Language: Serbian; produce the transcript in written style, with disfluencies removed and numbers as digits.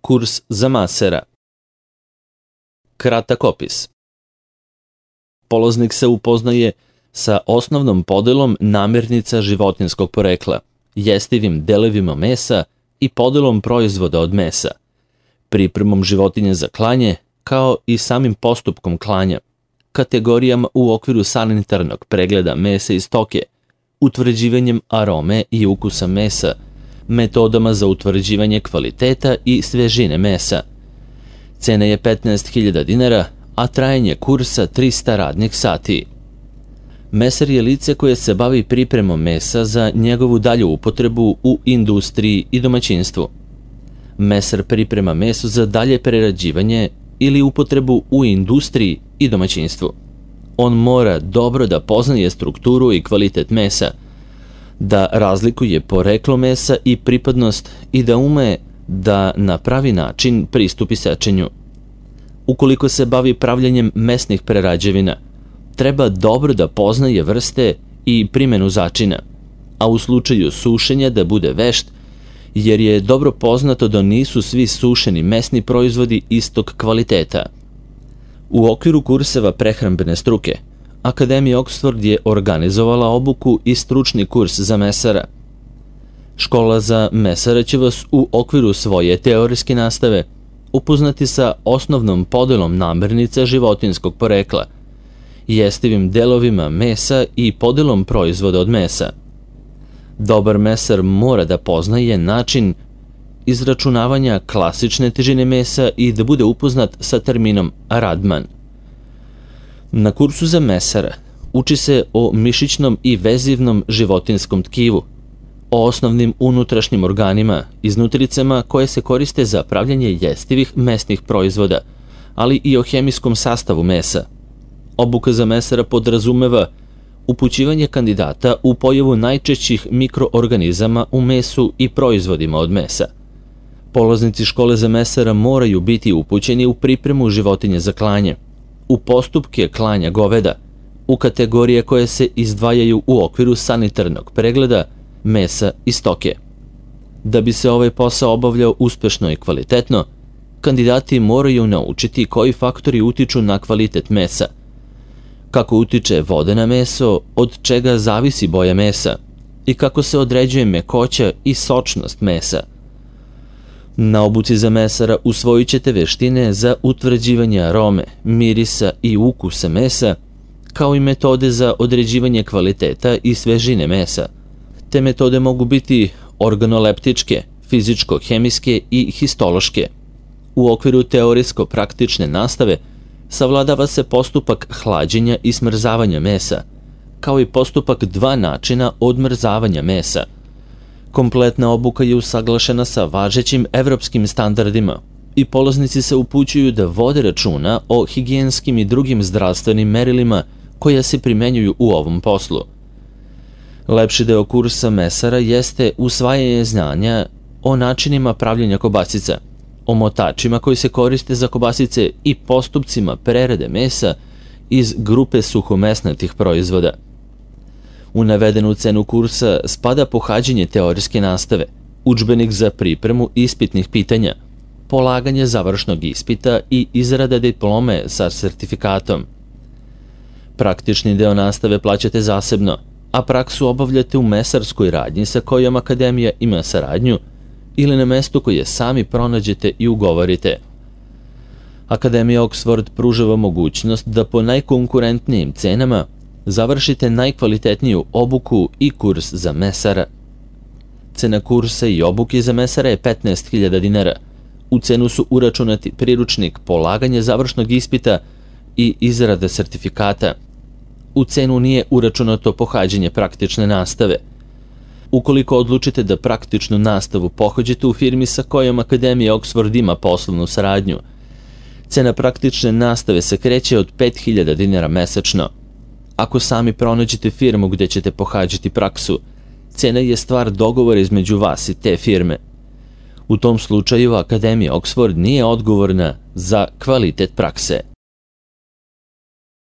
Kurs za masera. Kratak opis. Polaznik se upoznaje sa osnovnom podelom namirnica životinjskog porekla, jestivim delevima mesa i podelom proizvoda od mesa, pripremom životinje za klanje, kao i samim postupkom klanja, kategorijama u okviru sanitarnog pregleda mesa i stoke, utvrđivanjem arome i ukusa mesa, metodama za utvrđivanje kvaliteta i svežine mesa. Cena je 15.000 dinara, a trajanje kursa 300 radnih sati. Mesar je lice koje se bavi pripremom mesa za njegovu dalju upotrebu u industriji i domaćinstvu. Mesar priprema meso za dalje prerađivanje ili upotrebu u industriji i domaćinstvu. On mora dobro da poznaje strukturu i kvalitet mesa, da razlikuje poreklo mesa i pripadnost i da ume da na pravi način pristupi sečenju. Ukoliko se bavi pravljenjem mesnih prerađevina, treba dobro da poznaje vrste i primenu začina, a u slučaju sušenja da bude vešt, jer je dobro poznato da nisu svi sušeni mesni proizvodi istog kvaliteta. U okviru kurseva prehrambene struke, Akademija Oxford je organizovala obuku i stručni kurs za mesara. Škola za mesara će vas u okviru svoje teorijske nastave upoznati sa osnovnom podelom namirnica životinjskog porekla, jestivim delovima mesa i podelom proizvoda od mesa. Dobar mesar mora da poznaje način izračunavanja klasične težine mesa i da bude upoznat sa terminom Radman. Na kursu za mesara uči se o mišićnom i vezivnom životinjskom tkivu, o osnovnim unutrašnjim organima, iznutricama koje se koriste za pravljanje jestivih mesnih proizvoda, ali i o hemijskom sastavu mesa. Obuka za mesara podrazumeva upućivanje kandidata u pojavu najčešćih mikroorganizama u mesu i proizvodima od mesa. Polaznici škole za mesara moraju biti upućeni u pripremu životinje za klanje, u postupke klanja goveda, u kategorije koje se izdvajaju u okviru sanitarnog pregleda mesa i stoke. Da bi se ovaj posao obavljao uspešno i kvalitetno, kandidati moraju naučiti koji faktori utiču na kvalitet mesa, kako utiče voda na meso, od čega zavisi boja mesa i kako se određuje mekoća i sočnost mesa. Na obuci za mesara usvojit ćete veštine za utvrđivanje arome, mirisa i ukusa mesa, kao i metode za određivanje kvaliteta i svežine mesa. Te metode mogu biti organoleptičke, fizičko-hemijske i histološke. U okviru teorijsko-praktične nastave savladava se postupak hlađenja i smrzavanja mesa, kao i postupak 2 načina odmrzavanja mesa. Kompletna obuka je usaglašena sa važećim evropskim standardima i polaznici se upućuju da vode računa o higijenskim i drugim zdravstvenim merilima koja se primenjuju u ovom poslu. Lepši deo kursa mesara jeste usvajanje znanja o načinima pravljenja kobasica, o motačima koji se koriste za kobasice i postupcima prerade mesa iz grupe suhomesnatih proizvoda. U navedenu cenu kursa spada pohađanje teorijske nastave, udžbenik za pripremu ispitnih pitanja, polaganje završnog ispita i izrada diplome sa sertifikatom. Praktični deo nastave plaćate zasebno, a praksu obavljate u mesarskoj radnji sa kojom Akademija ima saradnju ili na mestu koje sami pronađete i ugovorite. Akademija Oxford pružava mogućnost da po najkonkurentnijim cenama završite najkvalitetniju obuku i kurs za mesara. Cena kursa i obuke za mesara je 15.000 dinara. U cenu su uračunati priručnik, polaganje završnog ispita i izrada sertifikata. U cenu nije uračunato pohađanje praktične nastave. Ukoliko odlučite da praktičnu nastavu pohađate u firmi sa kojom Akademija Oxford ima poslovnu saradnju, cena praktične nastave se kreće od 5.000 dinara mesečno. Ako sami pronađete firmu gde ćete pohađati praksu, cena je stvar dogovora između vas i te firme. U tom slučaju Akademija Oxford nije odgovorna za kvalitet prakse.